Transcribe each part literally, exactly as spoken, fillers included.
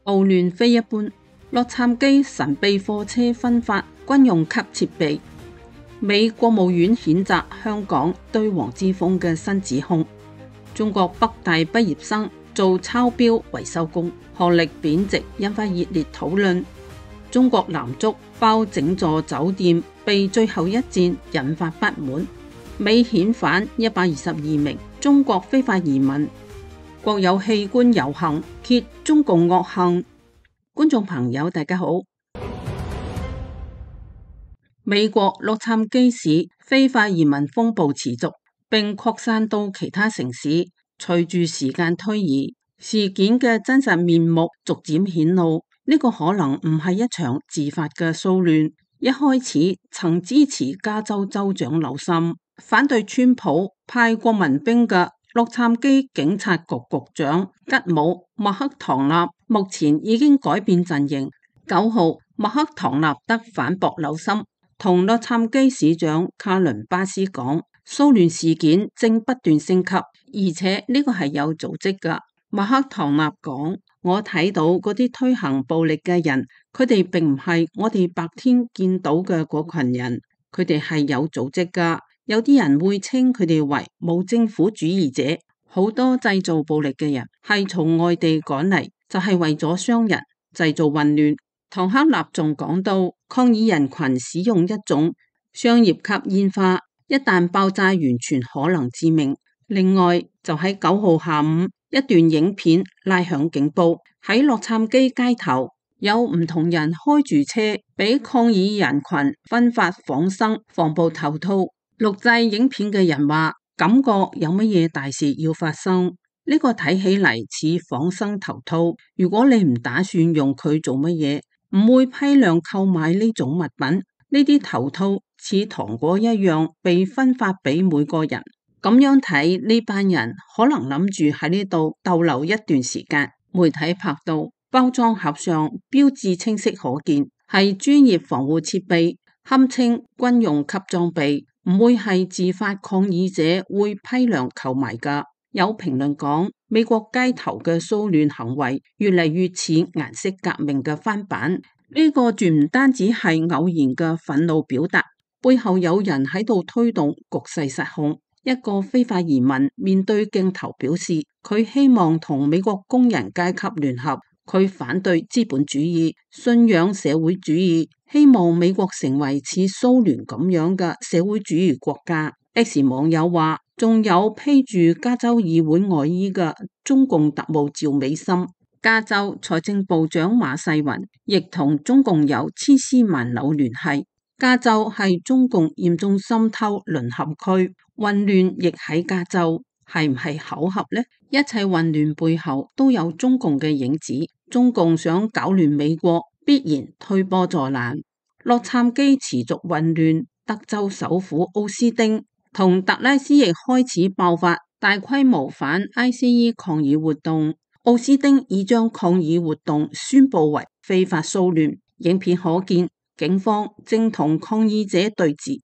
奧亂非一般，洛杉磯神秘貨車分發軍用級設備。美國務院譴責香港對黃之鋒嘅新指控。中國北大畢業生做抄標維修工，學歷貶值引發熱烈討論。中國男足包整座酒店被最後一戰引發不滿。美遣返一百二十二名中國非法移民。國有器官遊行揭中共惡行。觀眾朋友大家好。美國洛杉磯市非法移民風暴持續，並擴散到其他城市。隨住時間推移，事件嘅真實面目逐漸顯露。呢個可能唔係一場自發嘅騷亂。一開始曾支持加州州長紐森、反對川普派國民兵嘅洛杉磯警察局局長吉姆麥克唐納，目前已經改變陣營。九號，麥克唐納德反駁紐森，同洛杉磯市長卡倫巴斯講，騷亂事件正不斷升級，而且呢個係有組織噶。麥克唐納講，我睇到嗰啲推行暴力嘅人，佢哋並唔係我哋白天見到嘅嗰群人，佢哋係有組織噶。有啲人會稱佢哋為無政府主義者。好多製造暴力嘅人係從外地趕嚟，就係為咗傷人、製造混亂。唐克納仲講到，抗議人群使用一種商業級煙花，一旦爆炸完全可能致命。另外就喺九號下午，一段影片拉響警報，喺洛杉磯街頭有唔同人開住車，俾抗議人群分發仿生防暴頭套。錄製影片嘅人話，感覺有乜嘢大事要發生。呢個睇起嚟似仿生頭套，如果你唔打算用佢做乜嘢，唔會批量購買呢種物品。呢啲頭套似糖果一樣被分發俾每個人。咁樣睇，呢班人可能諗住喺呢度逗留一段時間。媒體拍到包裝盒上標誌清晰可見，係專業防護設備，堪稱軍用級裝備，唔會係自發抗議者會批量購買噶。有評論講，美國街頭嘅騷亂行為越嚟越似顏色革命嘅翻版。呢個絕唔單止係偶然嘅憤怒表達，背後有人喺度推動局勢失控。一個非法移民面對鏡頭表示，佢希望同美國工人階級聯合，佢反對資本主義，信仰社會主義，希望美國成為似蘇聯咁樣嘅社會主義國家。X 網友話，仲有披住加州議會外衣嘅中共特務趙美心。加州財政部長馬世雲亦同中共有千絲萬縷聯繫。加州係中共嚴重滲透淪陷區，混亂亦喺加州，係唔係巧合呢？一切混亂背後都有中共嘅影子，中共想搞亂美國，必然推波助瀾。洛杉磯持續混亂，德州首府奧斯丁同達拉斯亦開始爆發大規模反 I C E 抗議活動。奧斯丁已將抗議活動宣布為非法騷亂，影片可見警方正同抗議者對峙。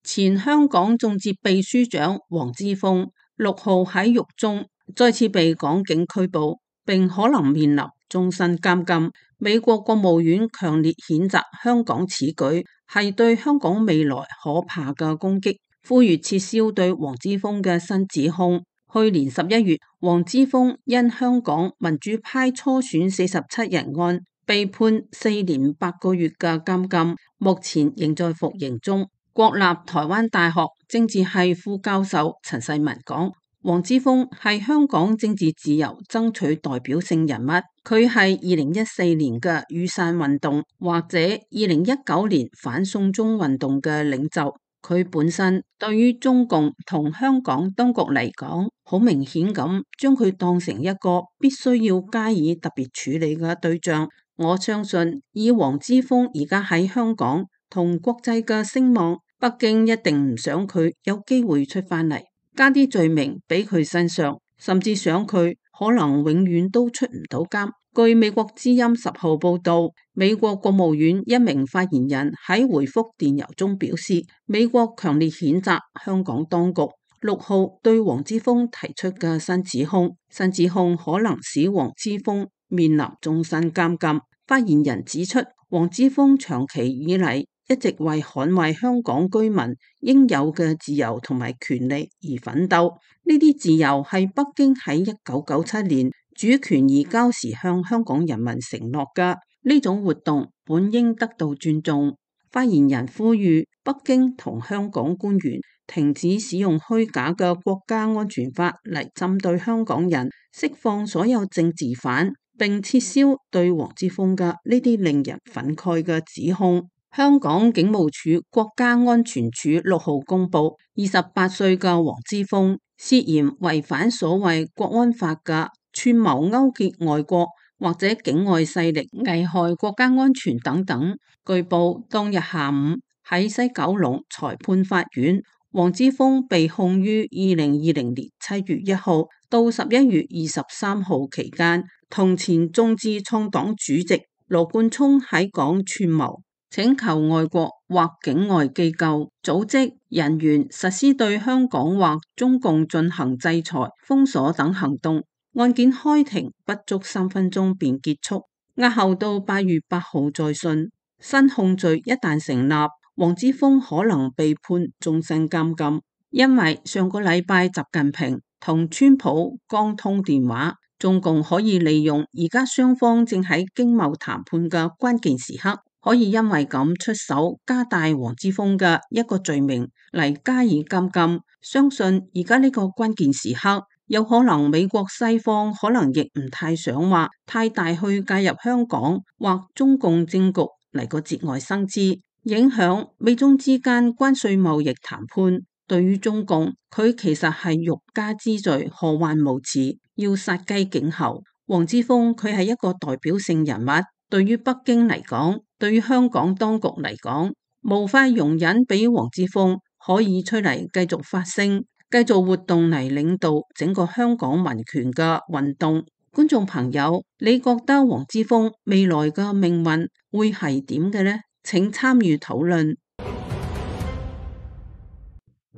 前香港眾志秘書長黃之鋒六號喺獄中再次被港警拘捕，並可能面臨終身監禁。美國國務院強烈譴責香港此舉係對香港未來可怕嘅攻擊，呼籲撤銷對黃之鋒嘅新指控。去年十一月，黃之鋒因香港民主派初選四十七人案被判四年八個月嘅監禁，目前仍在服刑中。國立台灣大學政治系副教授陳世文講，黃之鋒係香港政治自由爭取代表性人物，佢係二零一四年嘅雨傘運動或者二零一九年反送中運動嘅領袖。佢本身對於中共同香港當局嚟講，好明顯咁將佢當成一個必須要加以特別處理嘅對象。我相信以黃之鋒而家喺香港同國際嘅聲望，北京一定唔想佢有機會出翻嚟，加啲罪名俾佢身上，甚至想佢可能永遠都出唔到監。據美國之音十號報道，美國國務院一名發言人喺回覆電郵中表示，美國強烈譴責香港當局六號對黃之鋒提出嘅新指控，新指控可能使黃之鋒面臨終身監禁。發言人指出，黃之鋒長期以嚟一直為捍衛香港居民應有嘅自由同埋權利而奮鬥，呢啲自由係北京喺一九九七年主權移交時向香港人民承諾嘅，呢種活動本應得到尊重。發言人呼籲北京同香港官員停止使用虛假嘅國家安全法嚟針對香港人，釋放所有政治犯，並撤銷對黃之鋒嘅呢啲令人憤慨嘅指控。香港警務處國家安全處六號公布，二十八歲嘅黃之鋒涉嫌違反所謂國安法嘅串謀勾結外國或者境外勢力危害國家安全等等。據報當日下午喺西九龍裁判法院，黃之鋒被控於二零二零年七月一號到十一月二十三號期間，同前眾志創黨主席羅冠聰喺港串謀，請求外國或境外機構、組織、人員實施對香港或中共進行制裁、封鎖等行動。案件開庭不足三分鐘便結束，押後到八月八號再訊。新控罪一旦成立，黃之鋒可能被判終身監禁，因為上個禮拜習近平同川普剛通電話，中共可以利用而家雙方正喺經貿談判嘅關鍵時刻，可以因為咁出手加大黃之鋒嘅一個罪名嚟加以監禁。相信而家呢個關鍵時刻，有可能美國西方可能亦唔太想話太大去介入香港或中共政局嚟個節外生枝，影響美中之間關稅貿易談判。對於中共，佢其實係欲加之罪，何患無辭，要殺雞儆猴。黃之鋒佢係一個代表性人物，對於北京嚟講，對於香港當局嚟講，無法容忍俾黃之鋒可以出嚟繼續發聲，繼續活動嚟領導整個香港民權嘅運動。觀眾朋友，你覺得黃之鋒未來嘅命運會係點嘅呢？請參與討論。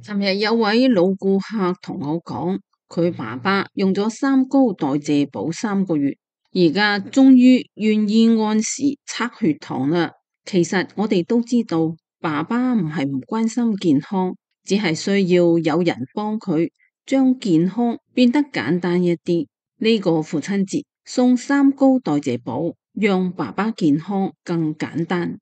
尋日有位老顧客同我講，佢爸爸用咗三高代謝補三個月，而家終於願意按時測血糖啦。其實我哋都知道，爸爸唔係唔關心健康，只係需要有人幫佢將健康變得簡單一啲。呢個父親節送三高代謝補，讓爸爸健康更簡單。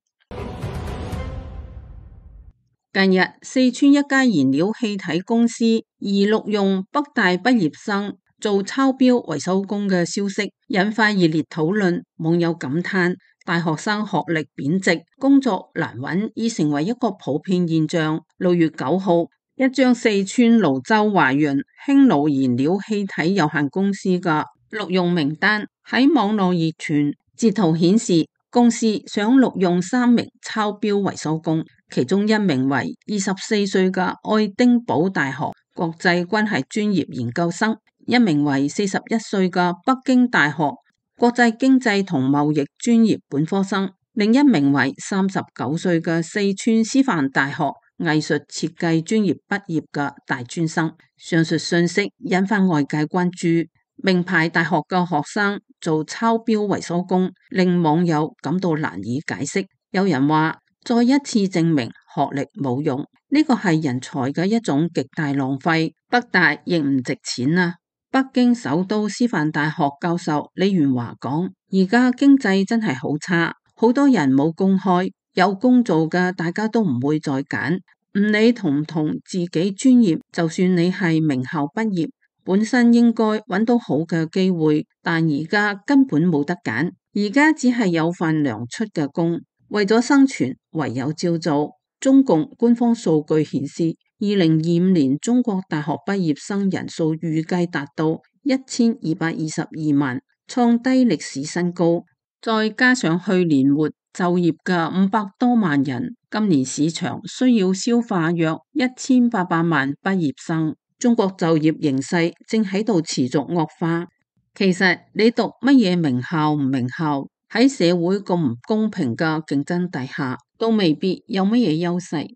近日，四川一家燃料氣體公司疑錄用北大畢業生做抄標維修工嘅消息，引發熱烈討論。網友感嘆，大學生學歷貶值，工作難揾，已成為一個普遍現象。六月九號，一張四川瀘州華潤興努燃料氣體有限公司嘅錄用名單喺網絡熱傳，截圖顯示公司想錄用三名抄標維修工，其中一名為二十四歲嘅愛丁堡大學國際關係專業研究生，一名為四十一歲嘅北京大學國際經濟同貿易專業本科生，另一名為三十九歲嘅四川師範大學藝術設計專業畢業嘅大專生。上述信息引發外界關注。名牌大學嘅學生做抄標維修工，令網友感到難以解釋。有人話，再一次證明學歷冇用，呢個係人才嘅一種極大浪費。北大亦唔值錢啊！北京首都師範大學教授李元華講，而家經濟真係好差，好多人冇工開，有工做嘅大家都唔會再揀，唔理同唔同自己專業，就算你係名校畢業，本身應該揾到好嘅機會，但而家根本冇得揀，而家只係有份糧出嘅工，為咗生存唯有照做。中共官方數據顯示，二零二五年中國大學畢業生人數預計達到一千二百二十二萬，創低歷史新高。再加上去年末就業嘅五百多萬人，今年市場需要消化約一千八百萬畢業生。中國就業形勢正喺度持續惡化。其實你讀乜嘢名校唔名校，喺社會咁唔公平嘅競爭底下，都未必有乜嘢優勢。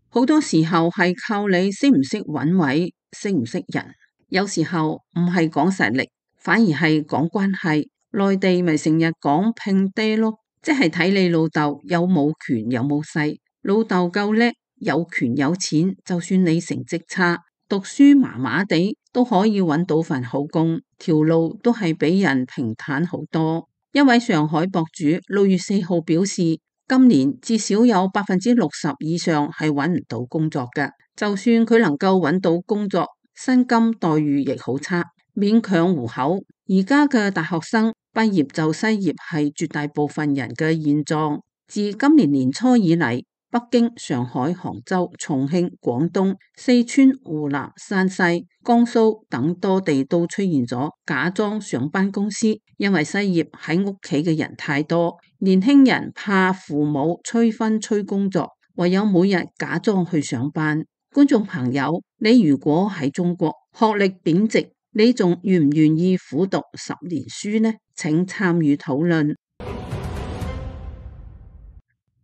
好多時候係靠你識唔識揾位，識唔識人。有時候唔係講實力，反而係講關係。內地咪成日講拼爹咯，即係睇你老豆有冇權有冇勢。老豆夠叻，有權有錢，就算你成績差，讀書麻麻地，都可以揾到份好工，條路都係比人平坦好多。一位上海博主六月四號表示，今年至少有百分之六十以上係揾唔到工作㗎，就算佢能夠揾到工作，薪金待遇亦好差，勉強糊口。而家嘅大學生畢業就失業係絕大部分人嘅現狀。自今年年初以嚟，北京、上海、杭州、重慶、廣東、四川、湖南、山西、江蘇等多地都出現咗假裝上班公司，因為失業喺屋企嘅人太多，年輕人怕父母催婚催工作，唯有每日假裝去上班。觀眾朋友，你如果喺中國學歷貶值，你仲願唔願意苦讀十年書呢？請參與討論。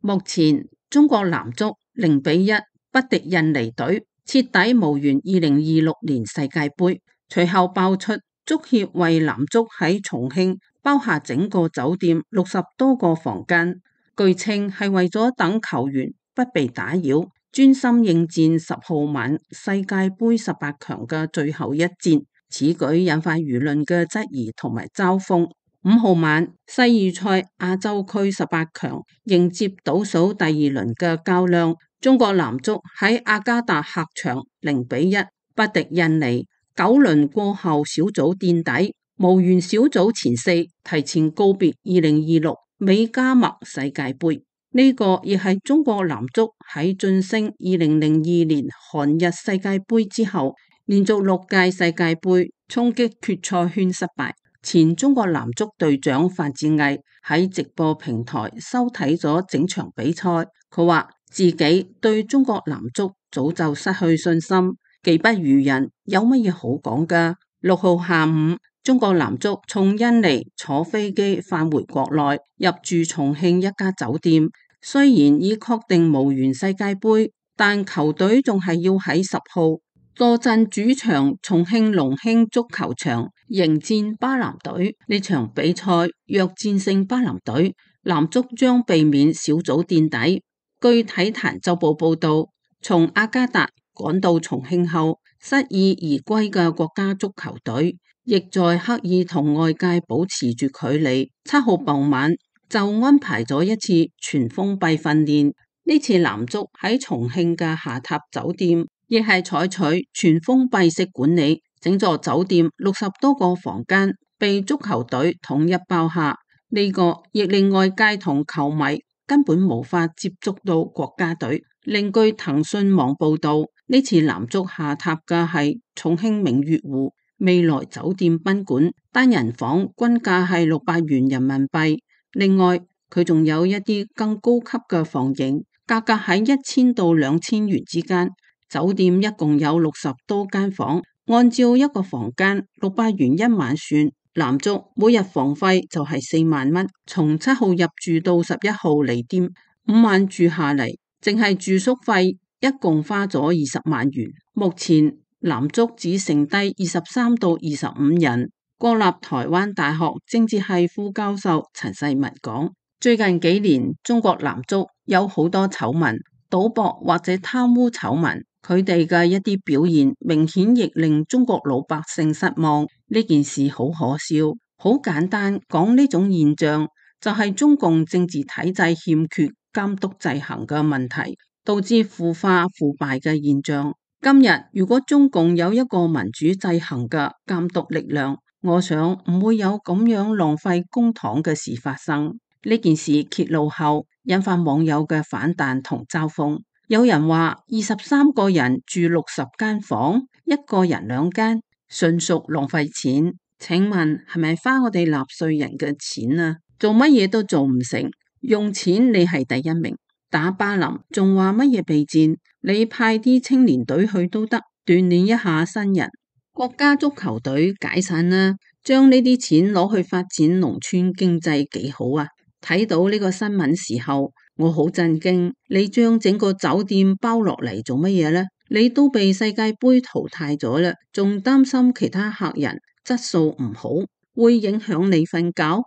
目前中國男足零比一不敵印尼隊，徹底無緣二零二六年世界盃。隨後爆出足協為男足喺重慶包下整個酒店六十多個房間，據稱係為咗等球員不被打擾，專心應戰十號晚世界盃十八強嘅最後一戰。此舉引發輿論嘅質疑同埋嘲諷。五號晚世預賽亞洲區十八強迎接倒數第二輪嘅較量，中國男足喺雅加達客場零比一不敵印尼，九輪過後小組墊底，無緣小組前四，提前告別二零二六美加墨世界盃。呢個亦係中國男足喺晉升二零零二年韓日世界盃之後，連續六屆世界盃衝擊決賽圈失敗。前中國男足隊長范志毅喺直播平台收睇咗整場比賽，佢話自己對中國男足早就失去信心，技不如人，有乜嘢好講㗎？六號下午，中國男足從印尼坐飛機返回國內，入住重慶一家酒店。雖然已確定無緣世界盃，但球隊仲係要喺十號坐鎮主場重慶龍興足球場迎戰巴南隊。呢場比賽若戰勝巴南隊，男足將避免小組墊底。據體壇週報報道，從雅加達趕到重慶後失意而歸嘅國家足球隊，亦在刻意同外界保持住距離。七號傍晚就安排咗一次全封閉訓練。呢次男足喺重慶嘅下榻酒店，亦係採取全封閉式管理，整座酒店六十多個房間被足球隊統一包下。呢個亦令外界同球迷根本無法接觸到國家隊。另據騰訊網報道，呢次男足下榻嘅係重慶明月湖未來酒店賓館，單人房均價係六百元人民幣。另外佢仲有一啲更高級嘅房型，價格喺一千到兩千元之間。酒店一共有六十多間房，按照一個房間六百元一晚算，男足每日房費就係四萬蚊。從七號入住到十一號離店，五晚住下嚟，淨係住宿費一共花咗二十萬元。目前男足只剩低二十三到二十五人。國立台灣大學政治系副教授陳世文講，最近幾年中國男足有好多醜聞，賭博或者貪污醜聞，佢哋嘅一啲表現明顯亦令中國老百姓失望。呢件事好可笑，好簡單講，呢種現象就係中共政治體制欠缺監督制衡嘅問題，導致腐化腐敗嘅現象。今日如果中共有一個民主制衡嘅監督力量，我想唔會有咁樣浪費公帑嘅事發生。呢件事揭露後，引發網友嘅反彈同嘲諷。有人話二十三個人住六十間房，一個人兩間，純屬浪費錢。請問係咪花我哋納稅人嘅錢啊？做乜嘢都做唔成，用錢你係第一名。打巴林仲話乜嘢備戰？你派啲青年隊去都得，鍛煉一下新人。國家足球隊解散啦，將呢啲錢攞去發展農村經濟幾好啊！睇到呢個新聞時候，我好震驚。你將整個酒店包落嚟做乜嘢呢？你都被世界盃淘汰咗啦，仲擔心其他客人質素唔好，會影響你瞓覺？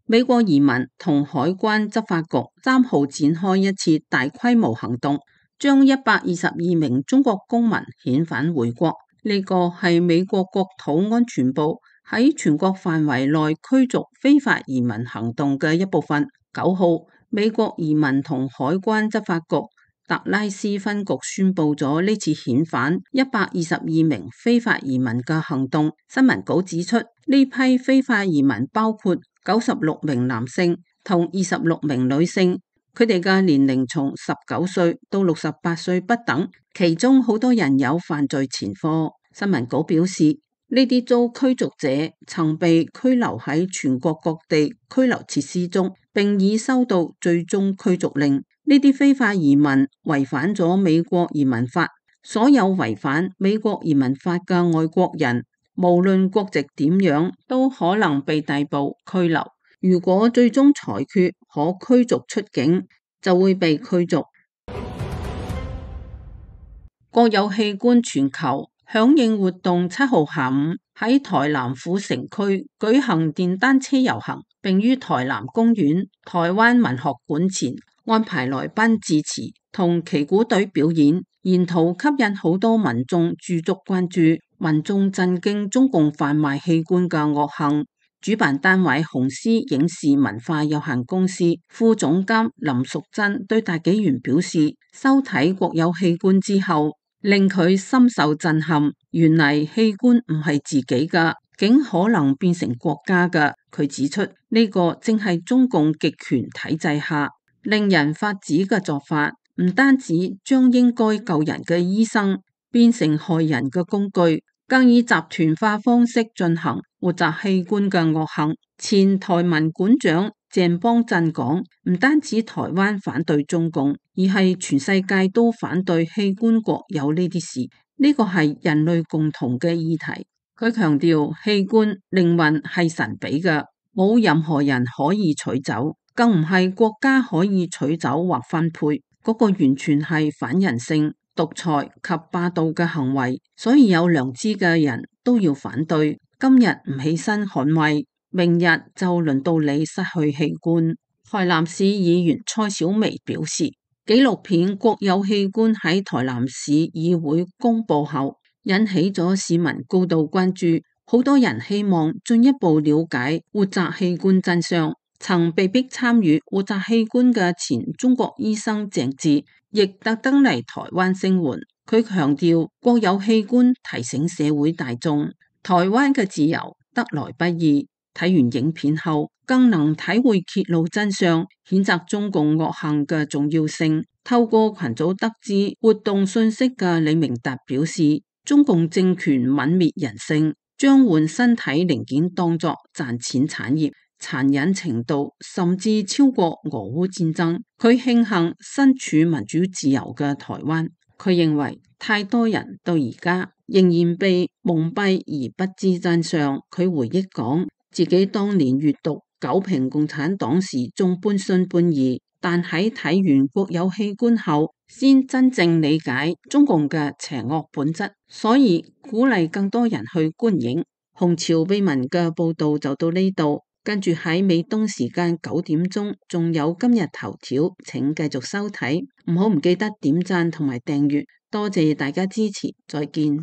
美國移民同海關執法局三號展開一次大規模行動，將一百二十二名中國公民遣返回國。呢個係美國國土安全部喺全國範圍內驅逐非法移民行動嘅一部分。九號，美國移民同海關執法局達拉斯分局宣布咗呢次遣返一百二十二名非法移民嘅行動。新聞稿指出，呢批非法移民包括九十六名男性同二十六名女性，佢哋嘅年齡從十九歲到六十八歲不等，其中好多人有犯罪前科。新聞稿表示，呢啲遭驅逐者曾被拘留喺全國各地拘留設施中，並已收到最終驅逐令。呢啲非法移民違反咗美國移民法，所有違反美國移民法嘅外國人，無論國籍點樣，都可能被逮捕拘留。如果最終裁決可驅逐出境，就會被驅逐。國有器官全球響應活動七號下午喺台南府城區舉行電單車遊行，並於台南公園、台灣文學館前安排來賓致辭同旗鼓隊表演，沿途吸引好多民眾駐足關注。民眾震驚中共販賣器官嘅惡行。主辦單位紅獅影視文化有限公司副總監林淑珍對大紀元表示，收睇國有器官之後，令佢深受震撼。原嚟器官唔係自己㗎，竟可能變成國家㗎。佢指出，呢個正係中共極權體制下令人發指嘅做法，唔單止將應該救人嘅醫生變成害人嘅工具，更以集團化方式進行活摘器官嘅惡行。前台文館長鄭邦震講，唔單止台灣反對中共，而係全世界都反對器官國有呢啲事。呢個係人類共同嘅議題。佢強調，器官靈魂係神俾嘅，冇任何人可以取走，更唔係國家可以取走或分配。嗰個完全係反人性、獨裁及霸道嘅行為，所以有良知嘅人都要反對。今日唔起身捍衛，明日就輪到你失去器官。台南市議員蔡小薇表示，紀錄片《國有器官》喺台南市議會公布後，引起咗市民高度關注。好多人希望進一步了解活摘器官真相。曾被逼參與活摘器官嘅前中國醫生鄭智，亦特登嚟台灣聲援。佢強調，國有器官提醒社會大眾，台灣嘅自由得來不易。睇完影片後，更能體會揭露真相、譴責中共惡行嘅重要性。透過群組得知活動信息嘅李明達表示，中共政權泯滅人性，將換身體零件當作賺錢產業，殘忍程度甚至超過俄烏戰爭。佢慶幸身處民主自由嘅台灣。佢認為太多人到而家仍然被蒙蔽而不知真相。佢回憶講，自己當年閱讀九評共產黨時仲半信半疑，但喺睇完國有器官後，先真正理解中共嘅邪惡本質。所以鼓勵更多人去觀影。紅潮秘聞嘅報道就到呢度。跟住喺美東時間九點鐘，仲有今日頭條，請繼續收睇，唔好唔記得點讚同埋訂閱，多謝大家支持，再見。